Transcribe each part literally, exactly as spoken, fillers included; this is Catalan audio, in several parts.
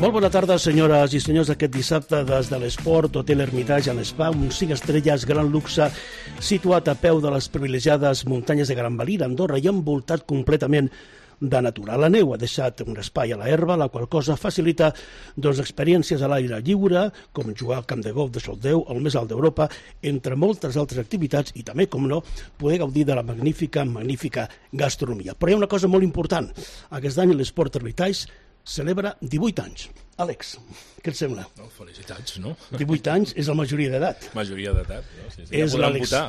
Molt bona tarda, senyores i senyors. Aquest dissabte, des de l'Esport Hotel Hermitage en Spa, un cinc estrelles, gran luxe, situat a peu de les privilegiades muntanyes de Gran Valira, Andorra, i envoltat completament de natura. La neu ha deixat un espai a la herba, la qual cosa facilita doncs, experiències a l'aire lliure, com jugar al camp de golf de Soldeu, el més alt d'Europa, entre moltes altres activitats, i també, com no, poder gaudir de la magnífica, magnífica gastronomia. Però hi ha una cosa molt important. Aquest any l'Esport Hermitage celebra divuit anys. Àlex, què et sembla? No, felicitats, no? divuit anys és la majoria d'edat. Majoria d'edat, no? Sí, sí, és ja podem votar.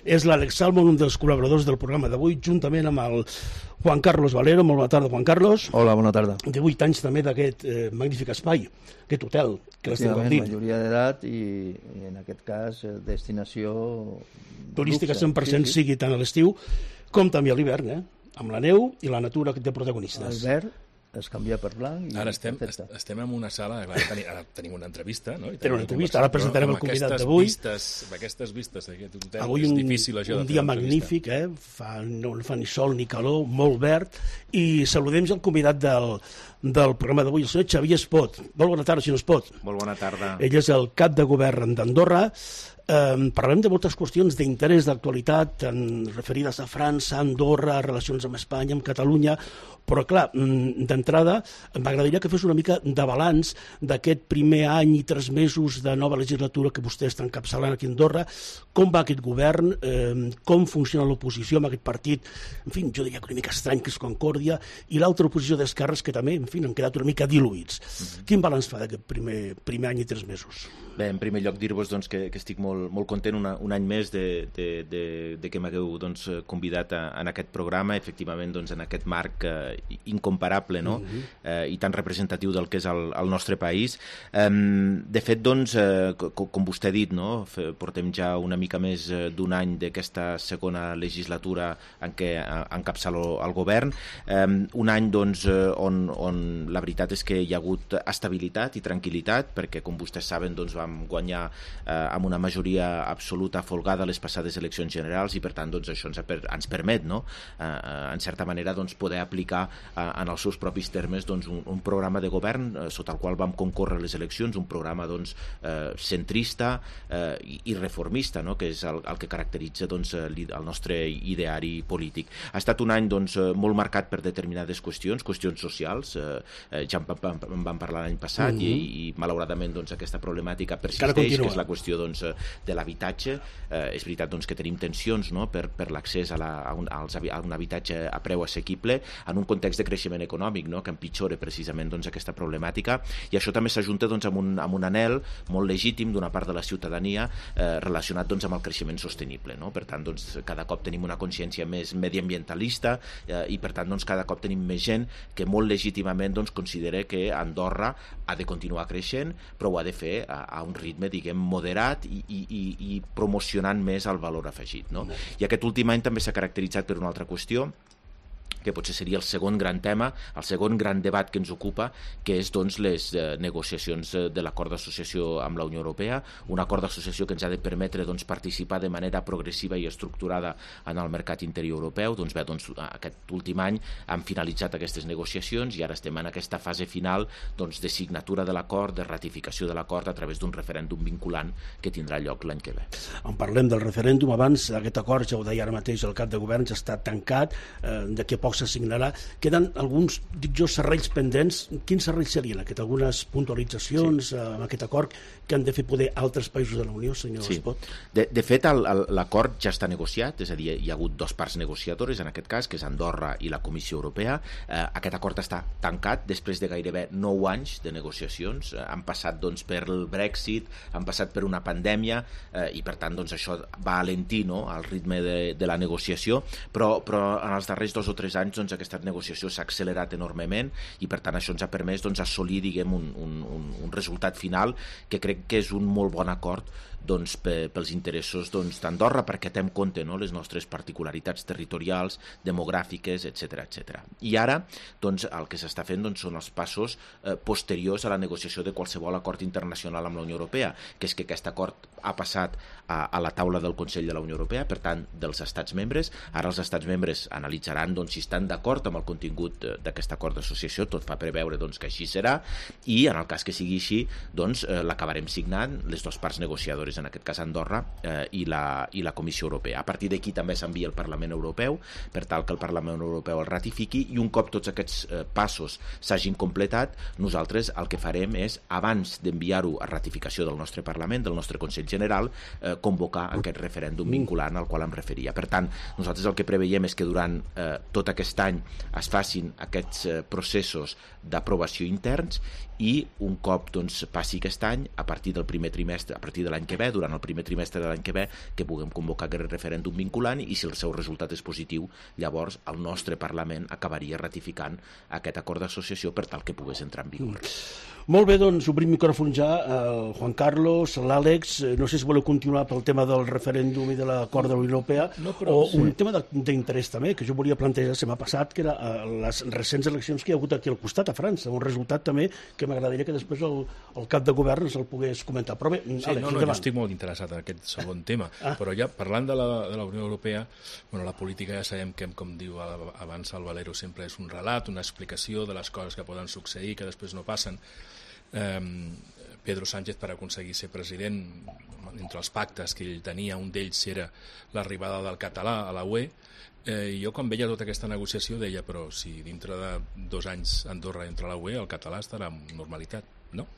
És l'Àlex Salmon, un dels col·laboradors del programa d'avui, juntament amb el Juan Carlos Valero. Molt bona tarda, Juan Carlos. Hola, bona tarda. divuit anys també d'aquest eh, magnífic espai, aquest hotel que l'esteu gaudint. Majoria d'edat i, i en aquest cas destinació turística luxe, cent per cent, sí, sí. sigui tant a l'estiu com també a l'hivern, eh? Amb la neu i la natura de protagonistes. L'hivern es canvia per blanc. Ara estem, estem en una sala, clar, tenim, ara tenim una entrevista, no? I tenim una entrevista, ara presentarem el convidat d'avui. Amb aquestes vistes d'aquest hotel, avui és un, difícil això un de fer dia una magnífic, eh? Fa, no fa ni sol ni calor, molt verd, i saludem el convidat del, del programa d'avui, el senyor Xavier Espot. Molt bona tarda, senyor Espot. Molt bona tarda. Ell és el cap de govern d'Andorra. Eh, parlem de moltes qüestions d'interès d'actualitat referides a França, Andorra, relacions amb Espanya, amb Catalunya, però clar, d'entrada m'agradaria que fes una mica de balanç d'aquest primer any i tres mesos de nova legislatura que vostè està encapçalant aquí a Andorra. Com va aquest govern, eh, com funciona l'oposició amb aquest partit, en fi, jo diria que una mica estrany, que és Concòrdia, i l'altra oposició d'esquerres que també, en fi, han quedat una mica diluïts. Mm-hmm. Quin balanç fa d'aquest primer, primer any i tres mesos? Bé, en primer lloc dir-vos doncs, que, que estic molt, molt content una, un any més de, de, de, de que m'hagueu doncs, convidat a, en aquest programa, efectivament doncs, en aquest marc eh, incomparable, no? Mm-hmm. eh, i tan representatiu del que és el, el nostre país. Eh, de fet, doncs, eh, com, com vostè ha dit, no? Portem ja una mica més d'un any d'aquesta segona legislatura en què encapçalo el govern. Eh, un any doncs, on, on la veritat és que hi ha hagut estabilitat i tranquil·litat, perquè com vostès saben doncs, vam guanyar eh, amb una majoria absoluta folgada les passades eleccions generals i per tant doncs, això ens, ens permet, no? eh, en certa manera doncs, poder aplicar eh, en els seus propis termes doncs, un, un programa de govern eh, sota el qual vam concórrer les eleccions, un programa doncs, eh, centrista eh, i, i reformista, no? Que és el, el que caracteritza doncs, el nostre ideari polític. Ha estat un any doncs, molt marcat per determinades qüestions, qüestions socials, eh, ja en vam, en vam parlar l'any passat mm-hmm. i, i malauradament doncs, aquesta problemàtica persisteix, que és la qüestió doncs, de l'habitatge. Eh, és veritat doncs, que tenim tensions, no? per, per l'accés a, la, a, un, als, a un habitatge a preu assequible en un context de creixement econòmic, no? Que empitjora precisament doncs, aquesta problemàtica, i això també s'ajunta doncs, amb, un, amb un anhel molt legítim d'una part de la ciutadania eh, relacionat doncs, amb el creixement sostenible, no? Per tant, doncs, cada cop tenim una consciència més mediambientalista eh, i per tant doncs, cada cop tenim més gent que molt legítimament doncs, considera que Andorra ha de continuar creixent, però ho ha de fer a, a un ritme, diguem, moderat i, i, i, i promocionant més el valor afegit, no? I aquest últim any també s'ha caracteritzat per una altra qüestió, que potser seria el segon gran tema, el segon gran debat que ens ocupa, que és doncs, les eh, negociacions de l'acord d'associació amb la Unió Europea, un acord d'associació que ens ha de permetre doncs, participar de manera progressiva i estructurada en el mercat interior europeu. Doncs bé, doncs, aquest últim any han finalitzat aquestes negociacions i ara estem en aquesta fase final doncs, de signatura de l'acord, de ratificació de l'acord a través d'un referèndum vinculant que tindrà lloc l'any que ve. En parlem del referèndum, abans aquest acord, ja ho deia ara mateix el cap de govern, ja està tancat, eh, d'aquí a poc s'assignarà. Queden alguns, dic jo, serrells pendents. Quins serrells serien aquest? Algunes puntualitzacions sí. amb aquest acord que han de fer poder altres països de la Unió, senyor sí. Espot? De, de fet, l'acord ja està negociat, és a dir, hi ha hagut dos parts negociadores, en aquest cas, que és Andorra i la Comissió Europea. Eh, aquest acord està tancat després de gairebé nou anys de negociacions. Eh, han passat doncs, per el Brexit, han passat per una pandèmia eh, i, per tant, doncs, això va alentir, no?, el ritme de, de la negociació, però, però en els darrers dos o tres anys doncs, aquesta negociació s'ha accelerat enormement i per tant això ens ha permès doncs, assolir diguem, un, un, un resultat final que crec que és un molt bon acord doncs, pels interessos doncs, d'Andorra, perquè té en compte, no?, les nostres particularitats territorials, demogràfiques, etcètera, etcètera. I ara doncs, el que s'està fent doncs, són els passos eh, posteriors a la negociació de qualsevol acord internacional amb la Unió Europea, que és que aquest acord ha passat a, a la taula del Consell de la Unió Europea, per tant, dels estats membres. Ara els estats membres analitzaran doncs, si estan d'acord amb el contingut d'aquest acord d'associació, tot fa preveure doncs, que així serà, i en el cas que sigui així, doncs, eh, l'acabarem signant les dues parts negociadores, en aquest cas Andorra eh, i, la, i la Comissió Europea. A partir d'aquí també s'envia al Parlament Europeu, per tal que el Parlament Europeu el ratifiqui, i un cop tots aquests eh, passos s'hagin completat, nosaltres el que farem és, abans d'enviar-ho a ratificació del nostre Parlament, del nostre Consell General, eh, convocar aquest referèndum vinculant al qual em referia. Per tant, nosaltres el que preveiem és que durant eh, tot aquest any es facin aquests eh, processos d'aprovació interns, i un cop doncs, passi aquest any, a partir del primer trimestre, a partir de l'any que ve, durant el primer trimestre de l'any que ve, que puguem convocar aquest referèndum vinculant, i si el seu resultat és positiu, llavors el nostre Parlament acabaria ratificant aquest acord d'associació per tal que pogués entrar en vigor. Mm. Molt bé, doncs obrim micròfon ja al Juan Carlos, a l'Àlex. No sé si voleu continuar pel tema del referèndum i de l'acord de la Unió Europea, no, però, o sí. un tema d'interès també, que jo volia plantejar la setmana passat, que era les recents eleccions que hi ha hagut aquí al costat, a França, un resultat també que m'agradaria que després el, el cap de govern ens el pogués comentar. Però bé, sí, Àlex, no, no, jo estic molt interessat en aquest segon tema, ah. però ja parlant de la, de la Unió Europea, bueno, la política ja sabem que, com diu abans el Valero, sempre és un relat, una explicació de les coses que poden succeir, que després no passen. Eh, Pedro Sánchez, per aconseguir ser president, entre els pactes que ell tenia, un d'ells era l'arribada del català a la U E, eh, i jo quan veia tota aquesta negociació deia, però si dintre de dos anys Andorra entra a la U E, el català estarà en normalitat, no?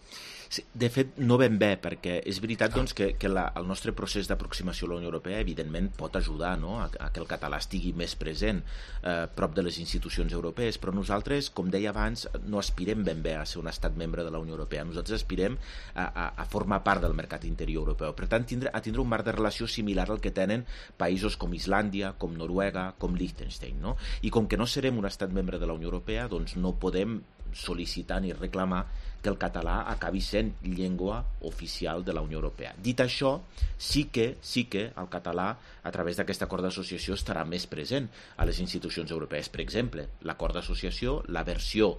Sí, de fet, no ben bé, perquè és veritat doncs, que, que la, el nostre procés d'aproximació a la Unió Europea evidentment pot ajudar, no?, a, a que el català estigui més present eh, prop de les institucions europees, però nosaltres, com deia abans, no aspirem ben bé a ser un estat membre de la Unió Europea. Nosaltres aspirem a, a, a formar part del mercat interior europeu. Per tant, tindre, a tindre un marc de relació similar al que tenen països com Islàndia, com Noruega, com Liechtenstein, no? I com que no serem un estat membre de la Unió Europea, doncs no podem sol·licitar ni reclamar que el català acabi sent llengua oficial de la Unió Europea. Dit això, sí que, sí que el català, a través d'aquest acord d'associació, estarà més present a les institucions europees. Per exemple, l'acord d'associació, la versió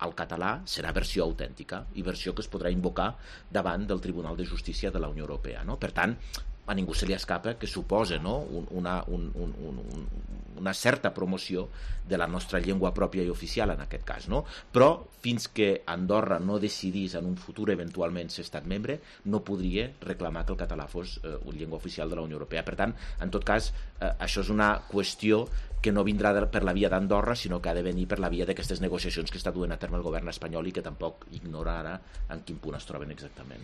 al català serà versió autèntica i versió que es podrà invocar davant del Tribunal de Justícia de la Unió Europea, no? Per tant, a ningú se li escapa que suposa, no?, una, un, un, un, una certa promoció de la nostra llengua pròpia i oficial en aquest cas, no? Però fins que Andorra no decidís en un futur eventualment ser estat membre, no podria reclamar que el català fos eh, una llengua oficial de la Unió Europea. Per tant, en tot cas, eh, això és una qüestió que no vindrà de, per la via d'Andorra, sinó que ha de venir per la via d'aquestes negociacions que està duent a terme el govern espanyol i que tampoc ignora ara en quin punt es troben exactament.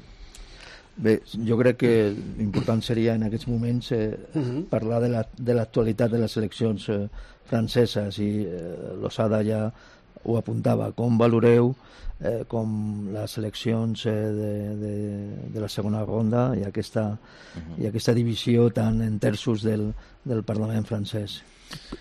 Bé, jo crec que l'important seria en aquests moments eh, uh-huh. parlar de la, de l'actualitat de les eleccions eh, franceses, i eh, Losada ja ho apuntava. Com valoreu eh, com les eleccions eh, de, de, de la segona ronda i aquesta, uh-huh. i aquesta divisió tan en terços del, del Parlament francès?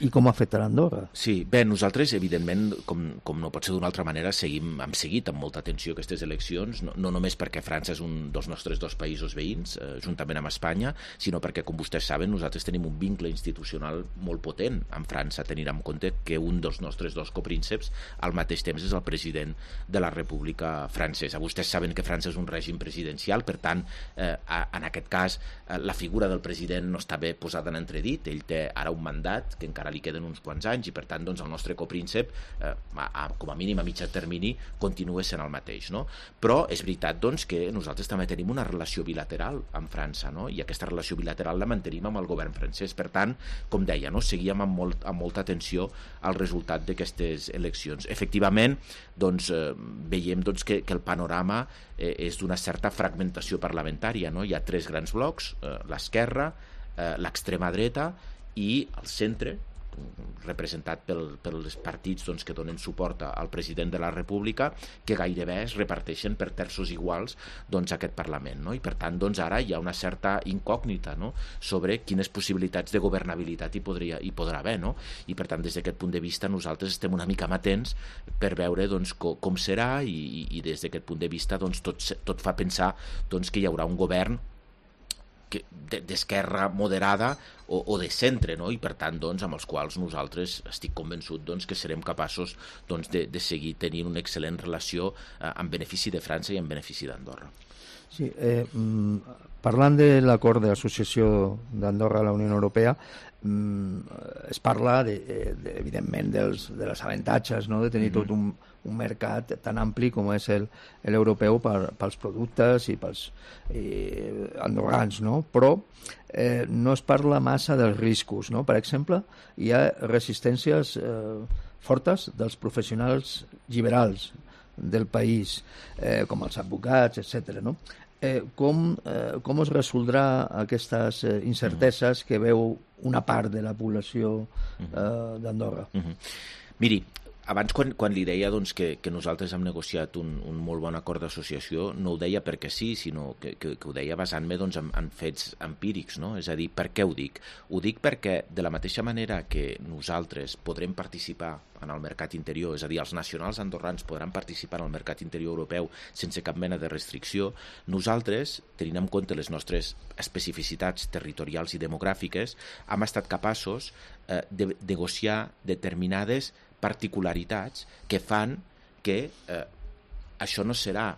I com afectarà Andorra? Sí, bé, nosaltres, evidentment, com, com no pot ser d'una altra manera, seguim, hem seguit amb molta atenció aquestes eleccions, no, no només perquè França és un dels nostres dos països veïns, eh, juntament amb Espanya, sinó perquè, com vostès saben, nosaltres tenim un vincle institucional molt potent amb França, tenint en compte que un dels nostres dos coprínceps al mateix temps és el president de la República Francesa. Vostès saben que França és un règim presidencial, per tant, eh, en aquest cas, eh, la figura del president no està bé posada en entredit, ell té ara un mandat que encara li queden uns quants anys i per tant doncs, el nostre copríncep eh, a, a, com a mínim a mitjà termini continua sent el mateix, no? Però és veritat doncs, que nosaltres també tenim una relació bilateral amb França, no? I aquesta relació bilateral la mantenim amb el govern francès. Per tant, com deia, no? Seguíem amb, molt, amb molta atenció al resultat d'aquestes eleccions. Efectivament, doncs, eh, veiem doncs, que, que el panorama eh, és d'una certa fragmentació parlamentària, no? Hi ha tres grans blocs, eh, l'esquerra, eh, l'extrema dreta i el centre, representat pel, pels partits doncs, que donen suport al president de la República, que gairebé es reparteixen per terços iguals doncs, aquest Parlament, no? I per tant doncs, ara hi ha una certa incògnita, no?, sobre quines possibilitats de governabilitat hi, podria, hi podrà haver, no? I per tant des d'aquest punt de vista nosaltres estem una mica amatents per veure doncs, com, com serà i, i des d'aquest punt de vista doncs, tot, tot fa pensar doncs, que hi haurà un govern d'esquerra moderada o, o de centre, no? I per tant, doncs, amb els quals nosaltres estic convençut doncs, que serem capaços doncs, de, de seguir tenint una excel·lent relació eh, en benefici de França i en benefici d'Andorra. Sí, eh, parlant de l'acord d'associació d'Andorra a la Unió Europea, es parla, de, de, evidentment, dels, de les avantatges, no? De tenir tot un, un mercat tan ampli com és el, l'europeu per, pels productes i pels eh, andorrans, no? Però eh, no es parla massa dels riscos, no? Per exemple, hi ha resistències eh, fortes dels professionals liberals del país, eh, com els advocats, etcètera, no? Eh, com, eh, com es resoldrà aquestes eh, incerteses que veu una part de la població eh, d'Andorra? Uh-huh. Miri, abans quan, quan li deia doncs, que, que nosaltres hem negociat un, un molt bon acord d'associació, no ho deia perquè sí, sinó que, que, que ho deia basant-me doncs, en, en fets empírics, no? És a dir, per què ho dic? Ho dic perquè de la mateixa manera que nosaltres podrem participar en el mercat interior, és a dir, els nacionals andorrans podran participar en el mercat interior europeu sense cap mena de restricció, nosaltres, tenint en compte les nostres especificitats territorials i demogràfiques, hem estat capaços eh, de negociar determinades particularitats que fan que eh, això no serà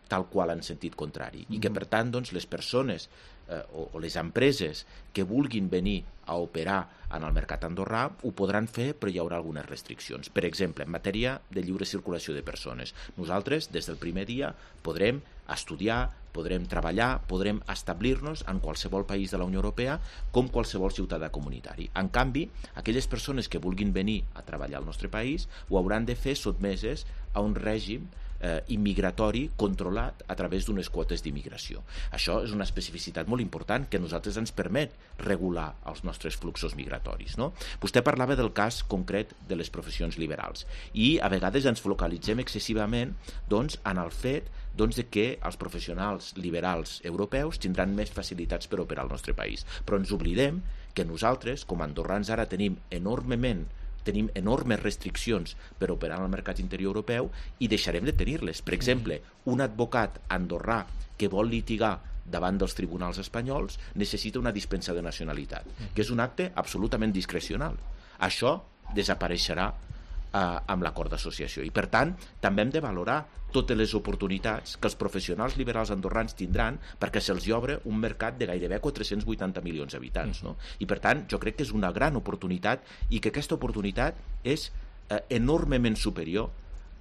tal qual en sentit contrari i que, per tant, doncs, les persones eh, o, o les empreses que vulguin venir a operar en el mercat andorrà ho podran fer, però hi haurà algunes restriccions. Per exemple, en matèria de lliure circulació de persones. Nosaltres, des del primer dia, podrem estudiar, podrem treballar, podrem establir-nos en qualsevol país de la Unió Europea com qualsevol ciutadà comunitari. En canvi, aquelles persones que vulguin venir a treballar al nostre país ho hauran de fer sotmeses a un règim eh, immigratori controlat a través d'unes quotes d'immigració. Això és una especificitat molt important que a nosaltres ens permet regular els nostres fluxos migratoris, no? Vostè parlava del cas concret de les professions liberals i a vegades ens focalitzem excessivament doncs, en el fet doncs, de que els professionals liberals europeus tindran més facilitats per operar al nostre país. Però ens oblidem que nosaltres, com a andorrans, ara tenim enormement tenim enormes restriccions per operar en el mercat interior europeu i deixarem de tenir-les. Per exemple, un advocat andorrà que vol litigar davant dels tribunals espanyols necessita una dispensa de nacionalitat, que és un acte absolutament discrecional. Això desapareixerà eh, amb l'acord d'associació i, per tant, també hem de valorar totes les oportunitats que els professionals liberals andorrans tindran perquè se'ls obre un mercat de gairebé quatre-cents vuitanta milions d'habitants, no? I, per tant, jo crec que és una gran oportunitat i que aquesta oportunitat és eh, enormement superior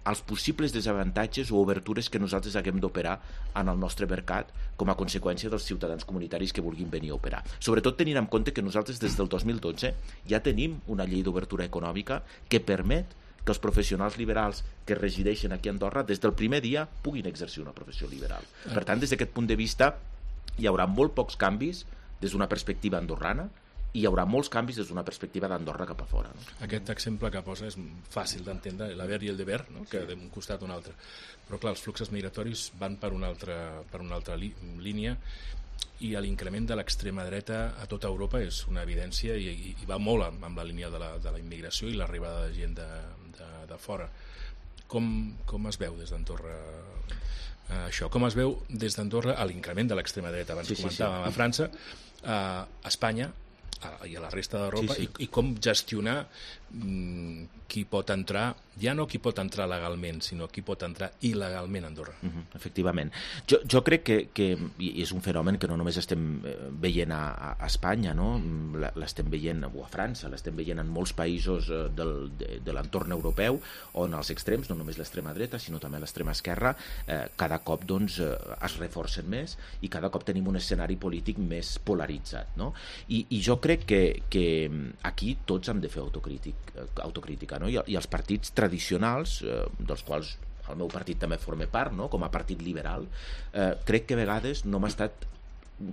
als possibles desavantatges o obertures que nosaltres haguem d'operar en el nostre mercat com a conseqüència dels ciutadans comunitaris que vulguin venir a operar. Sobretot tenint en compte que nosaltres des del dos mil dotze ja tenim una llei d'obertura econòmica que permet que els professionals liberals que resideixen aquí a Andorra des del primer dia puguin exercir una professió liberal. Per tant, des d'aquest punt de vista hi haurà molt pocs canvis des d'una perspectiva andorrana i hi haurà molts canvis des d'una perspectiva d'Andorra cap a fora. No? Aquest exemple que posa és fàcil d'entendre, l'haver i el deber, no? Que d'un costat o un altre. Però clar, els fluxos migratoris van per una altra, per una altra li, línia i l'increment de l'extrema dreta a tota Europa és una evidència i, i, i va molt amb, amb la línia de la, de la immigració i l'arribada de gent de, de, de fora. Com, com es veu des d'Andorra eh, això? Com es veu des d'Andorra a l'increment de l'extrema dreta? Abans sí, comentàvem sí, sí. a França, a Espanya i a la resta d'Europa, sí, sí. I, i com gestionar mm, qui pot entrar, ja no qui pot entrar legalment, sinó qui pot entrar il·legalment a Andorra. Uh-huh, efectivament. Jo, jo crec que, que i és un fenomen que no només estem veient a, a Espanya, no? L'estem veient o a França, l'estem veient en molts països del, de, de l'entorn europeu, on els extrems, no només l'extrema dreta, sinó també l'extrema esquerra, eh, cada cop doncs, es reforcen més i cada cop tenim un escenari polític més polaritzat. No? I, i jo crec que, que aquí tots hem de fer autocrític, autocrítica, no? I, i els partits tradicionals, eh, dels quals el meu partit també forma part, no? Com a partit liberal, eh, crec que a vegades no hem estat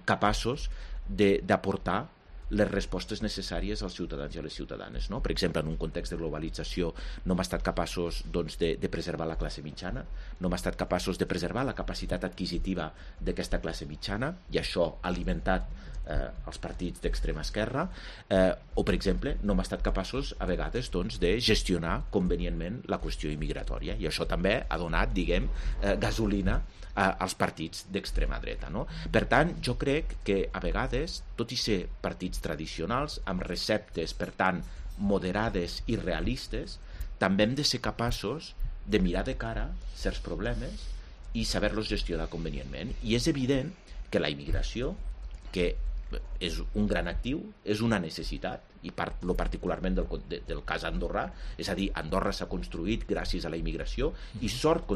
capaços d'aportar les respostes necessàries als ciutadans i a les ciutadanes, no? Per exemple, en un context de globalització no hem estat capaços doncs, de, de preservar la classe mitjana, no hem estat capaços de preservar la capacitat adquisitiva d'aquesta classe mitjana, i això ha alimentat eh, els partits d'extrema esquerra, eh, o per exemple no hem estat capaços a vegades doncs, de gestionar convenientment la qüestió immigratòria, i això també ha donat, diguem, eh, gasolina als partits d'extrema dreta, no? Per tant, jo crec que a vegades, tot i ser partits tradicionals, amb receptes, per tant, moderades i realistes, també hem de ser capaços de mirar de cara certs problemes i saber-los gestionar convenientment. I és evident que la immigració, que és un gran actiu, és una necessitat, i parlo particularment del, de, del cas andorrà, és a dir, Andorra s'ha construït gràcies a la immigració, i sort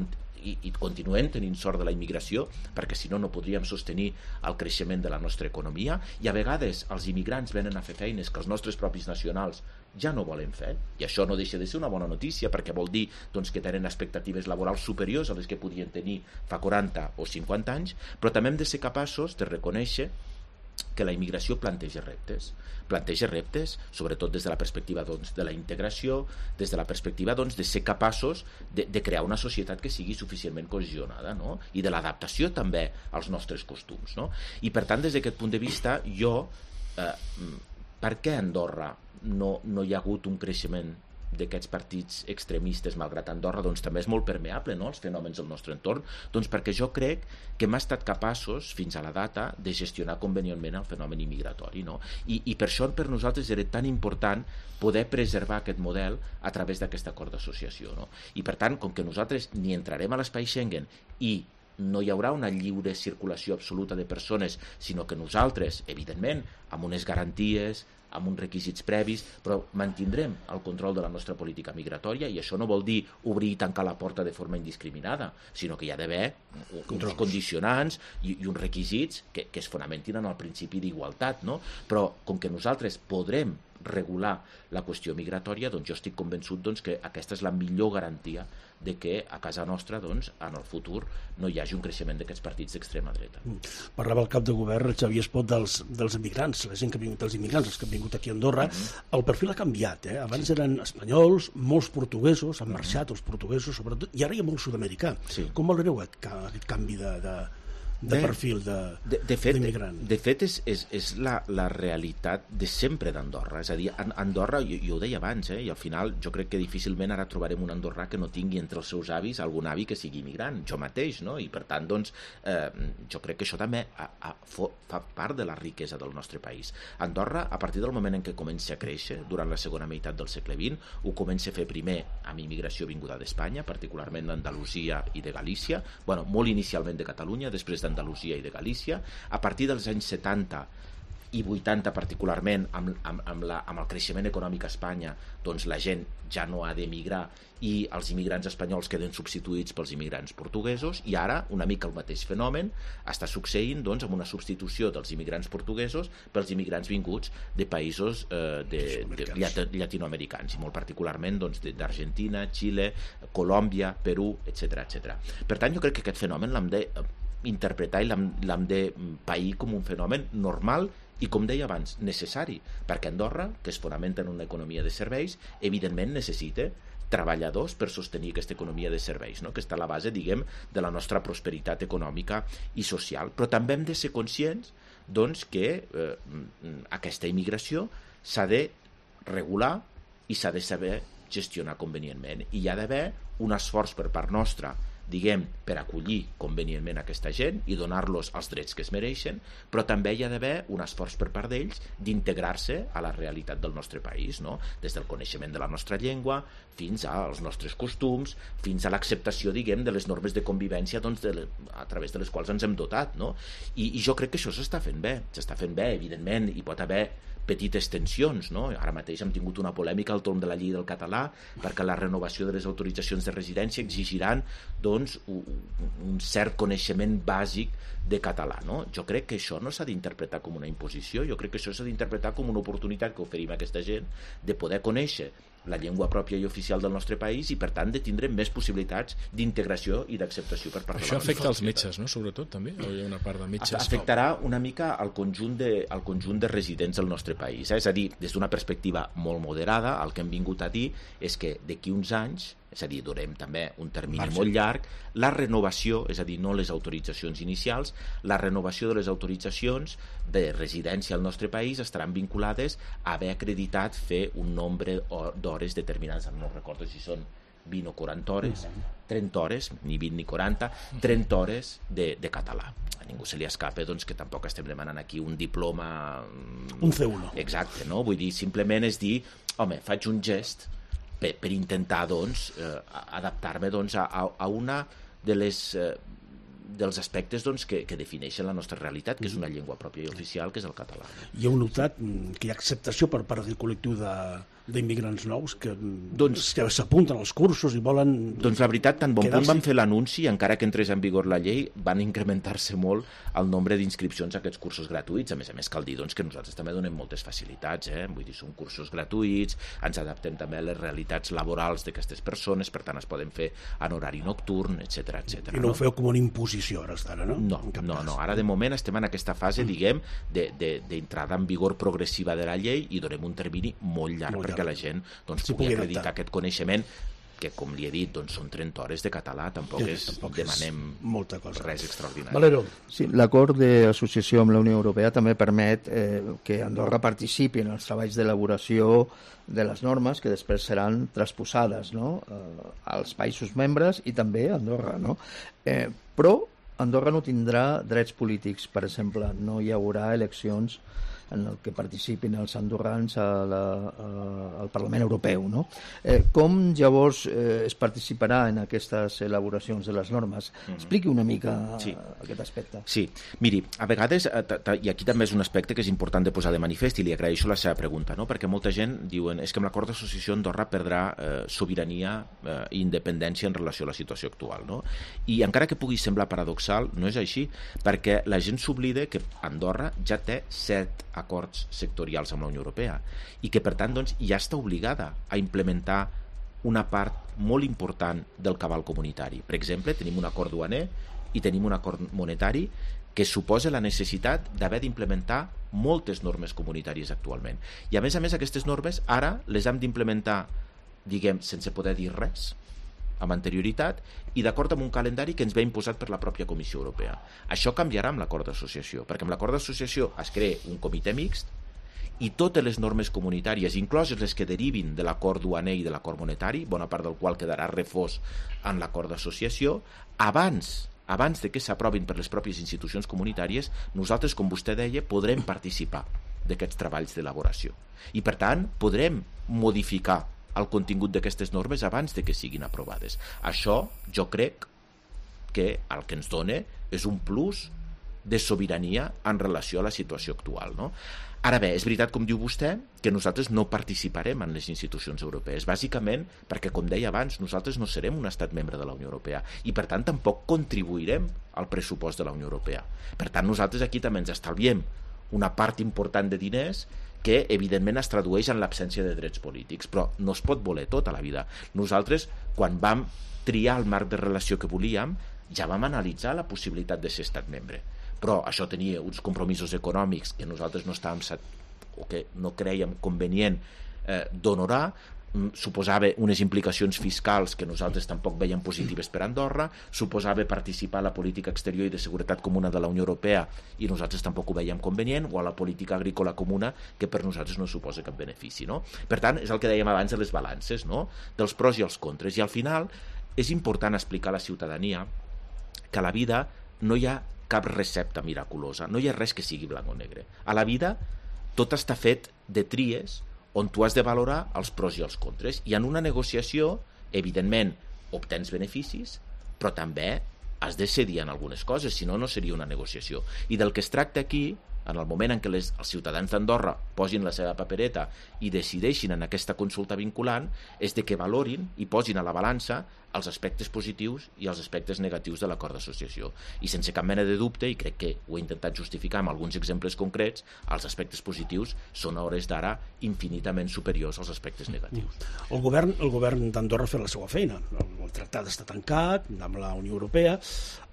i, i continuem tenint sort de la immigració, perquè si no no podríem sostenir el creixement de la nostra economia, i a vegades els immigrants venen a fer feines que els nostres propis nacionals ja no volen fer, i això no deixa de ser una bona notícia, perquè vol dir doncs, que tenen expectatives laborals superiors a les que podien tenir fa quaranta o cinquanta anys, però també hem de ser capaços de reconèixer que la immigració planteja reptes, planteja reptes, sobretot des de la perspectiva doncs, de la integració, des de la perspectiva doncs, de ser capaços de, de crear una societat que sigui suficientment cohesionada, no? I de l'adaptació també als nostres costums, no? I per tant, des d'aquest punt de vista, jo, eh, per què a Andorra no, no hi ha hagut un creixement d'aquests partits extremistes, malgrat Andorra doncs, també és molt permeable, no?, els fenòmens del nostre entorn, doncs perquè jo crec que hem estat capaços, fins a la data, de gestionar convenientment el fenomen immigratori, no? I, i per això per nosaltres era tan important poder preservar aquest model a través d'aquest acord d'associació, no? I per tant, com que nosaltres ni entrarem a l'espai Schengen i no hi haurà una lliure circulació absoluta de persones, sinó que nosaltres, evidentment, amb unes garanties, amb uns requisits previs, però mantindrem el control de la nostra política migratòria, i això no vol dir obrir i tancar la porta de forma indiscriminada, sinó que hi ha d'haver uns condicionants i, i uns requisits que, que es fonamentin en el principi d'igualtat, no? Però com que nosaltres podrem regular la qüestió migratòria, doncs jo estic convençut doncs, que aquesta és la millor garantia de que a casa nostra, doncs, en el futur no hi hagi un creixement d'aquests partits d'extrema dreta. Parlava el cap de govern, Xavier Espot, dels, dels immigrants, la gent que ha vingut, els immigrants, els que han vingut aquí a Andorra. Mm-hmm. El perfil ha canviat, eh? Abans sí. eren espanyols, molts portuguesos, han marxat els portuguesos, sobretot, i ara hi ha molt sud-americà. Sí. Com valoreu aquest, aquest canvi de... de... de perfil d'immigrant. De, de, de fet, és, és, és la, la realitat de sempre d'Andorra. És a dir, Andorra, jo, jo ho deia abans, eh, i al final jo crec que difícilment ara trobarem un andorrà que no tingui entre els seus avis algun avi que sigui immigrant, jo mateix, no? I per tant, doncs, eh, jo crec que això també a, a, fa part de la riquesa del nostre país. Andorra, a partir del moment en què comença a créixer, durant la segona meitat del segle vint, ho comença a fer primer amb immigració vinguda d'Espanya, particularment d'Andalusia i de Galícia, bueno, molt inicialment de Catalunya, després d'Andalusia i de Galícia. A partir dels anys setanta i vuitanta particularment, amb, amb, amb, la, amb el creixement econòmic a Espanya, doncs la gent ja no ha d'emigrar i els immigrants espanyols queden substituïts pels immigrants portuguesos, i ara una mica el mateix fenomen està succeint doncs, amb una substitució dels immigrants portuguesos pels immigrants vinguts de països eh, de, de, de llatinoamericans, i molt particularment doncs, d'Argentina, Xile, Colòmbia, Perú, etcètera, etcètera. Per tant, jo crec que aquest fenomen l'hem de interpretar i l'hem de pair com un fenomen normal i, com deia abans, necessari, perquè Andorra, que es fonamenta en una economia de serveis, evidentment necessita treballadors per sostenir aquesta economia de serveis, no? Que està a la base, diguem, de la nostra prosperitat econòmica i social. Però també hem de ser conscients doncs, que eh, aquesta immigració s'ha de regular i s'ha de saber gestionar convenientment, i hi ha d'haver un esforç per part nostra, diguem, per acollir convenientment aquesta gent i donar-los els drets que es mereixen, però també hi ha d'haver un esforç per part d'ells d'integrar-se a la realitat del nostre país, no? Des del coneixement de la nostra llengua fins als nostres costums, fins a l'acceptació, diguem, de les normes de convivència doncs, de le, a través de les quals ens hem dotat, no? I, i jo crec que això s'està fent bé, s'està fent bé, evidentment, hi pot haver petites tensions, no? Ara mateix hem tingut una polèmica al torn de la llei del català perquè la renovació de les autoritzacions de residència exigiran doncs, un cert coneixement bàsic de català, no? Jo crec que això no s'ha d'interpretar com una imposició, jo crec que això s'ha d'interpretar com una oportunitat que oferim a aquesta gent de poder conèixer la llengua pròpia i oficial del nostre país i, per tant, de tindre més possibilitats d'integració i d'acceptació per part de la Això afecta als metges, no?, sobretot, també? O hi ha una part de metges? Afectarà una mica al conjunt de, al conjunt de residents del nostre país. Eh? És a dir, des d'una perspectiva molt moderada, el que hem vingut a dir és que d'aquí uns anys, és a dir, durem també un termini Marge. molt llarg, la renovació, és a dir, no les autoritzacions inicials, la renovació de les autoritzacions de residència al nostre país estaran vinculades a haver acreditat fer un nombre d'hores determinades, no recordo si són vint o quaranta hores, trenta hores, ni vint ni quaranta, trenta hores de, de català. A ningú se li escapa doncs, que tampoc estem demanant aquí un diploma... Un C uno. Exacte, no? Vull dir, simplement és dir, home, faig un gest per, per intentar doncs, eh, adaptar-me doncs, a, a una de les... Eh, dels aspectes doncs, que, que defineixen la nostra realitat, que és una llengua pròpia i oficial, que és el català. I heu notat que hi ha acceptació per part del col·lectiu de d'immigrants nous que, doncs, que s'apunten als cursos i volen... Doncs la veritat, tan bon punt van fer l'anunci, encara que entrés en vigor la llei, van incrementar-se molt el nombre d'inscripcions a aquests cursos gratuïts. A més a més, cal dir doncs, que nosaltres també donem moltes facilitats, eh? Vull dir, són cursos gratuïts, ens adaptem també a les realitats laborals d'aquestes persones, per tant es poden fer en horari nocturn, etcètera, etcètera. I no, no ho feu com una imposició, ara d'ara, no? No, no, no. Ara de moment estem en aquesta fase, diguem, d'entrada en vigor progressiva de la llei i donem un termini molt llarg, molt llarg. perquè la gent doncs, sí, pugui acreditar aquest coneixement que, com li he dit, doncs, són trenta hores de català, tampoc, sí, és, tampoc demanem és molta cosa. Res extraordinari. Valero. Sí, l'acord d'associació amb la Unió Europea també permet eh, que Andorra participi en els treballs d'elaboració de les normes que després seran transposades, no?, eh, als països membres i també a Andorra, no? Eh, però Andorra no tindrà drets polítics, per exemple, no hi haurà eleccions en el que participin els andorrans a la, a, al Parlament Europeu, no? Eh, com llavors eh, es participarà en aquestes elaboracions de les normes? Mm-hmm. Expliqui una mica sí. aquest aspecte. Sí, miri, a vegades, i aquí també és un aspecte que és important de posar de manifest i li agraeixo la seva pregunta, no? Perquè molta gent diuen és que amb l'acord d'associació Andorra perdrà eh, sobirania eh, i independència en relació a la situació actual, no? I encara que pugui semblar paradoxal, no és així, perquè la gent s'oblida que Andorra ja té set acords sectorials amb la Unió Europea i que, per tant, doncs, ja està obligada a implementar una part molt important del cabal comunitari. Per exemple, tenim un acord duaner i tenim un acord monetari que suposa la necessitat d'haver d'implementar moltes normes comunitàries actualment. I, a més a més, aquestes normes ara les hem d'implementar, diguem, sense poder dir res, amb anterioritat i d'acord amb un calendari que ens ve imposat per la pròpia Comissió Europea. Això canviarà amb l'acord d'associació, perquè amb l'acord d'associació es crea un comitè mixt i totes les normes comunitàries, incloses les que derivin de l'acord duaner i de l'acord monetari, bona part del qual quedarà refós en l'acord d'associació, abans abans de que s'aprovin per les pròpies institucions comunitàries, nosaltres, com vostè deia, podrem participar d'aquests treballs d'elaboració. I, per tant, podrem modificar el contingut d'aquestes normes abans de que siguin aprovades. Això jo crec que el que ens dona és un plus de sobirania en relació a la situació actual, no? Ara bé, és veritat, com diu vostè, que nosaltres no participarem en les institucions europees, bàsicament perquè, com deia abans, nosaltres no serem un estat membre de la Unió Europea i, per tant, tampoc contribuirem al pressupost de la Unió Europea. Per tant, nosaltres aquí també ens estalviem una part important de diners que evidentment es tradueix en l'absència de drets polítics, però no es pot voler tot a la vida. Nosaltres, quan vam triar el marc de relació que volíem, ja vam analitzar la possibilitat de ser estat membre, però això tenia uns compromisos econòmics que nosaltres no estàvem o que no crèiem convenient eh, d'honorar, suposava unes implicacions fiscals que nosaltres tampoc veiem positives per Andorra, suposava participar a la política exterior i de seguretat comuna de la Unió Europea i nosaltres tampoc ho veiem convenient, o a la política agrícola comuna, que per nosaltres no suposa cap benefici, no? Per tant, és el que dèiem abans de les balances, no?, dels pros i els contres, i al final és important explicar a la ciutadania que a la vida no hi ha cap recepta miraculosa, no hi ha res que sigui blanc o negre. A la vida tot està fet de tries on tu has de valorar els pros i els contres. I en una negociació, evidentment, obtens beneficis, però també has de cedir en algunes coses, si no, no seria una negociació. I del que es tracta aquí en el moment en què les, els ciutadans d'Andorra posin la seva papereta i decideixin en aquesta consulta vinculant, és de que valorin i posin a la balança els aspectes positius i els aspectes negatius de l'acord d'associació. I sense cap mena de dubte, i crec que ho he intentat justificar amb alguns exemples concrets, els aspectes positius són a hores d'ara infinitament superiors als aspectes negatius. El govern, el govern d'Andorra ha fet la seva feina. El tractat està tancat amb la Unió Europea.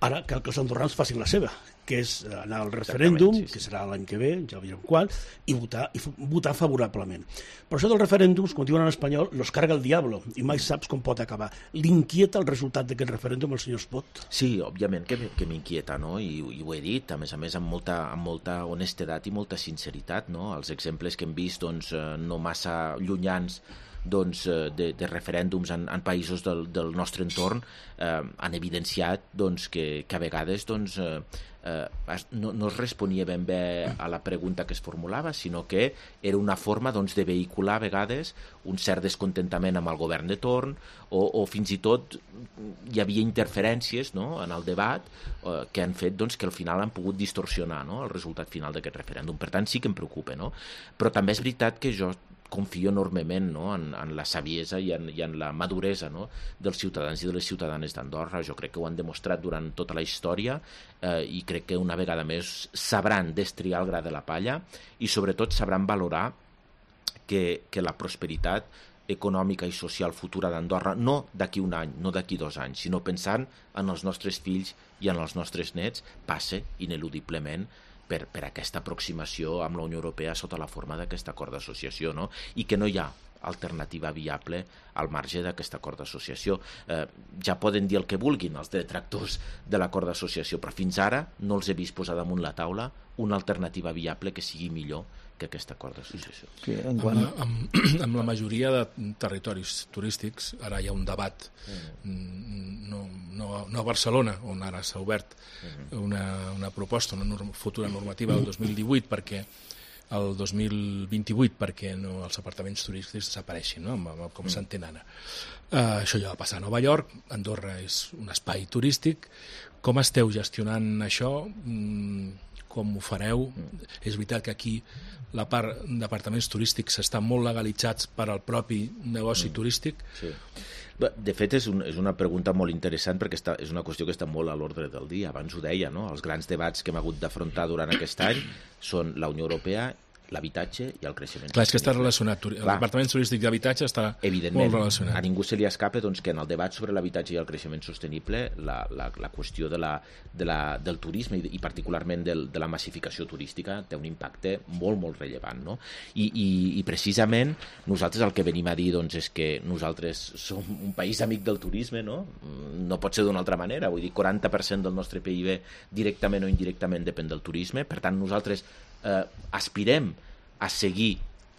Ara cal que els andorrans facin la seva, que és anar al referèndum, sí, sí. que serà l'any que ve, ja veurem quan, i votar, i votar favorablement. Però això dels referèndums, com diuen en espanyol, los carga el diablo, i mai saps com pot acabar. L'inquieta el resultat d'aquest referèndum el senyor Espot? Sí, òbviament que, que m'inquieta, no? I, i ho he dit, a més a més, amb molta, amb molta honestedat i molta sinceritat, no? Els exemples que hem vist, doncs, no massa llunyans, doncs, de, de referèndums en, en països del, del nostre entorn eh, han evidenciat doncs, que, que a vegades doncs, eh, eh, no, no es responia ben bé a la pregunta que es formulava, sinó que era una forma doncs, de vehicular a vegades un cert descontentament amb el govern de torn o, o fins i tot hi havia interferències, no?, en el debat eh, que han fet doncs, que al final han pogut distorsionar, no?, el resultat final d'aquest referèndum. Per tant, sí que em preocupa, no? Però també és veritat que jo confio enormement, no?, en, en la saviesa i en, i en la maduresa, no?, dels ciutadans i de les ciutadanes d'Andorra. Jo crec que ho han demostrat durant tota la història eh, i crec que una vegada més sabran destriar el gra de la palla i sobretot sabran valorar que, que la prosperitat econòmica i social futura d'Andorra, no d'aquí un any, no d'aquí dos anys, sinó pensant en els nostres fills i en els nostres nets, passa ineludiblement Per, per aquesta aproximació amb la Unió Europea sota la forma d'aquest acord d'associació, no? I que no hi ha alternativa viable al marge d'aquest acord d'associació. Eh, ja poden dir el que vulguin els detractors de l'acord d'associació, però fins ara no els he vist posar damunt la taula una alternativa viable que sigui millor que aquest acord d'associació. Sí, en quant... amb, amb, amb la majoria de territoris turístics, ara hi ha un debat, mm. no, no, no a Barcelona, on ara s'ha obert mm. una, una proposta, una norm, futura normativa del dos mil divuit, perquè el dos mil vint-i-vuit perquè no, els apartaments turístics desapareixin, no? com mm. s'entén ara. Uh, això ja va passar a Nova York, Andorra és un espai turístic. Com esteu gestionant això? Mm, com ho fareu? Mm. És veritat que aquí la part d'apartaments turístics estan molt legalitzats per al propi negoci mm. turístic. Sí. De fet, és, un, és una pregunta molt interessant perquè està, és una qüestió que està molt a l'ordre del dia. Abans ho deia, no? Els grans debats que hem hagut d'afrontar durant aquest any són la Unió Europea, l'habitatge i el creixement. Clar, és que està relacionat. L'apartament turístic d'habitatge està evidentment, molt relacionat. A ningú se li escapa doncs, que en el debat sobre l'habitatge i el creixement sostenible la, la, la qüestió de la, de la, del turisme i, i particularment del, de la massificació turística té un impacte molt, molt rellevant. No? I, i, I precisament nosaltres el que venim a dir doncs, és que nosaltres som un país amic del turisme, no? No pot ser d'una altra manera. Vull dir, quaranta per cent del nostre P I B directament o indirectament depèn del turisme. Per tant, nosaltres eh, aspirem a seguir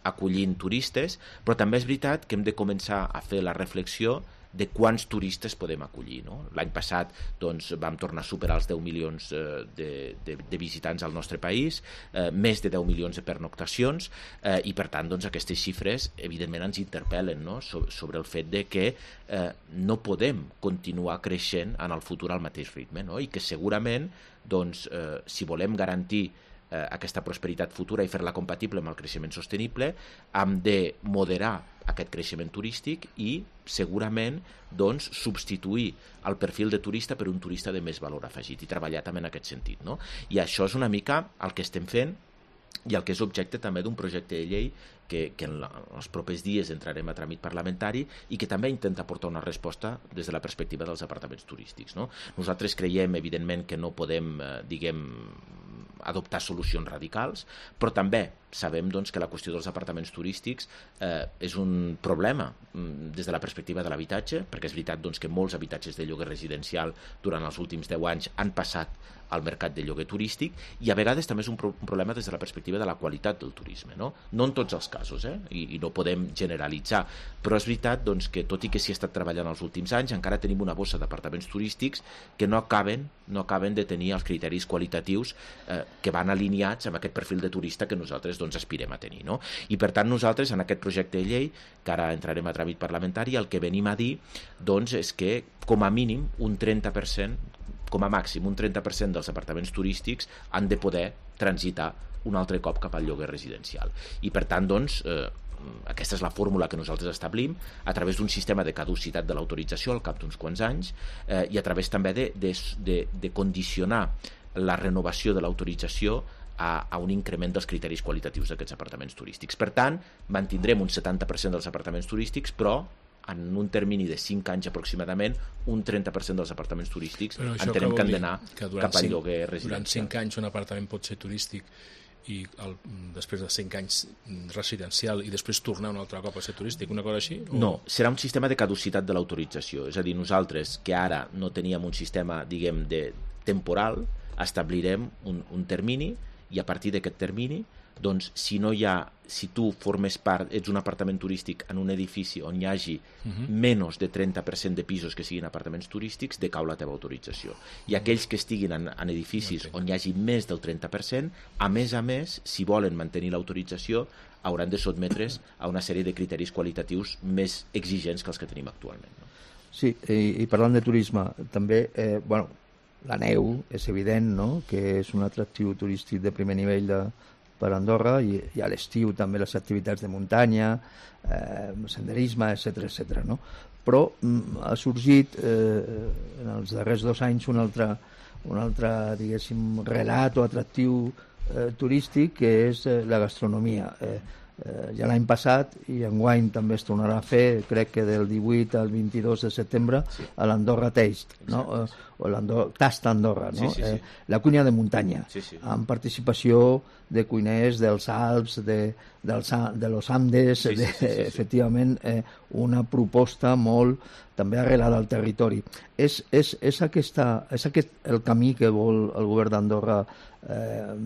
acollint turistes, però també és veritat que hem de començar a fer la reflexió de quants turistes podem acollir. No? L'any passat doncs, vam tornar a superar els deu milions eh, de, de, de visitants al nostre país, eh, més de deu milions de pernoctacions, eh, i per tant doncs, aquestes xifres evidentment ens interpel·len, no? so, sobre el fet de que eh, no podem continuar creixent en el futur al mateix ritme, no? I que segurament doncs, eh, si volem garantir eh, aquesta prosperitat futura i fer-la compatible amb el creixement sostenible, hem de moderar aquest creixement turístic i segurament doncs, substituir el perfil de turista per un turista de més valor afegit i treballar també en aquest sentit. No? I això és una mica el que estem fent i el que és objecte també d'un projecte de llei que, que en, la, en els propers dies entrarem a tràmit parlamentari i que també intenta aportar una resposta des de la perspectiva dels apartaments turístics. No? Nosaltres creiem, evidentment, que no podem, eh, diguem, adoptar solucions radicals, però també sabem doncs, que la qüestió dels apartaments turístics eh, és un problema mm, des de la perspectiva de l'habitatge, perquè és veritat doncs, que molts habitatges de lloguer residencial durant els últims deu anys han passat al mercat de lloguer turístic i a vegades també és un, pro un problema des de la perspectiva de la qualitat del turisme. No, no en tots els casos, eh? I, i no podem generalitzar, però és veritat doncs, que tot i que s'hi ha estat treballant els últims anys, encara tenim una bossa d'apartaments turístics que no acaben, no acaben de tenir els criteris qualitatius eh, que van alineats amb aquest perfil de turista que nosaltres doncs, aspirem a tenir. No? I per tant nosaltres en aquest projecte de llei, que ara entrarem a tràmit parlamentari, el que venim a dir doncs, és que com a mínim un trenta per cent, com a màxim un trenta per cent dels apartaments turístics han de poder transitar un altre cop cap al lloguer residencial. I per tant, doncs, eh, aquesta és la fórmula que nosaltres establim a través d'un sistema de caducitat de l'autorització al cap d'uns quants anys eh, i a través també de, de, de, de condicionar la renovació de l'autorització a, a un increment dels criteris qualitatius d'aquests apartaments turístics. Per tant, mantindrem un setanta per cent dels apartaments turístics, però en un termini de cinc anys aproximadament, un trenta per cent dels apartaments turístics entenem que han d'anar cap al lloguer residencial. Durant cinc anys un apartament pot ser turístic i el, després de cinc anys residencial i després tornar un altre cop a ser turístic, una cosa així? O... No, serà un sistema de caducitat de l'autorització, és a dir, nosaltres que ara no teníem un sistema, diguem, de temporal, establirem un, un termini i a partir d'aquest termini, doncs, si no hi ha, si tu formes part, ets un apartament turístic en un edifici on hi hagi uh-huh. menys de trenta per cent de pisos que siguin apartaments turístics, decau la teva autorització. I aquells que estiguin en, en edificis on hi hagi més del trenta per cent, a més a més, si volen mantenir l'autorització, hauran de sotmetre's a una sèrie de criteris qualitatius més exigents que els que tenim actualment. No? Sí, i, i parlant de turisme, també, eh, bueno, la neu és evident, no?, que és un atractiu turístic de primer nivell de per Andorra, i, i a l'estiu també les activitats de muntanya, eh, senderisme, etcètera, etcètera, no? Però mm, ha sorgit eh, en els darrers dos anys un altre, un altre diguéssim, relat o atractiu eh, turístic, que és eh, la gastronomia. Eh, eh, ja l'any passat, i enguany també es tornarà a fer, crec que del divuit al vint-i-dos de setembre, sí. a l'Andorra Taste, no? Eh, o l'Andorra, Tasta Andorra, no? Sí, sí, sí. Eh, la cuina de muntanya, sí, sí. amb participació de cuiners dels Alps, de, dels, de los Andes, sí, sí, de, sí, sí, sí. efectivament eh, una proposta molt també arrelada al territori. És, és, és, aquesta, és aquest el camí que vol el govern d'Andorra eh,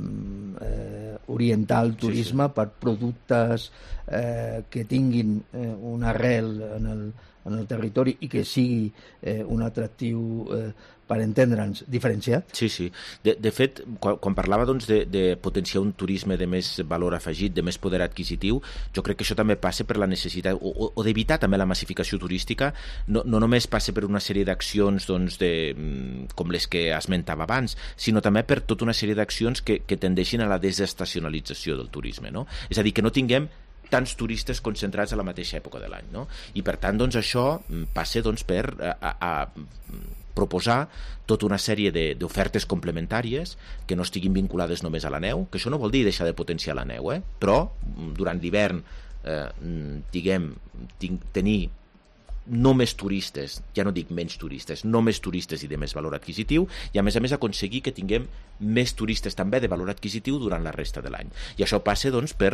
eh, orientar el turisme, sí, sí. per productes eh, que tinguin eh, un arrel en el, en el territori i que sigui eh, un atractiu eh, per entendre'ns, diferenciat? Sí, sí. De, de fet, quan, quan parlava doncs, de, de potenciar un turisme de més valor afegit, de més poder adquisitiu, jo crec que això també passa per la necessitat, o, o, o d'evitar també la massificació turística, no, no només passa per una sèrie d'accions doncs, de, com les que esmentava abans, sinó també per tota una sèrie d'accions que, que tendeixin a la desestacionalització del turisme, no? És a dir, que no tinguem tants turistes concentrats a la mateixa època de l'any, no? I per tant, doncs, això passa doncs, per a, a, a proposar tota una sèrie d'ofertes complementàries que no estiguin vinculades només a la neu, que això no vol dir deixar de potenciar la neu, eh? Però durant l'hivern eh, diguem, tenir no més turistes, ja no dic menys turistes, no més turistes i de més valor adquisitiu, i a més a més aconseguir que tinguem més turistes també de valor adquisitiu durant la resta de l'any. I això passa doncs, per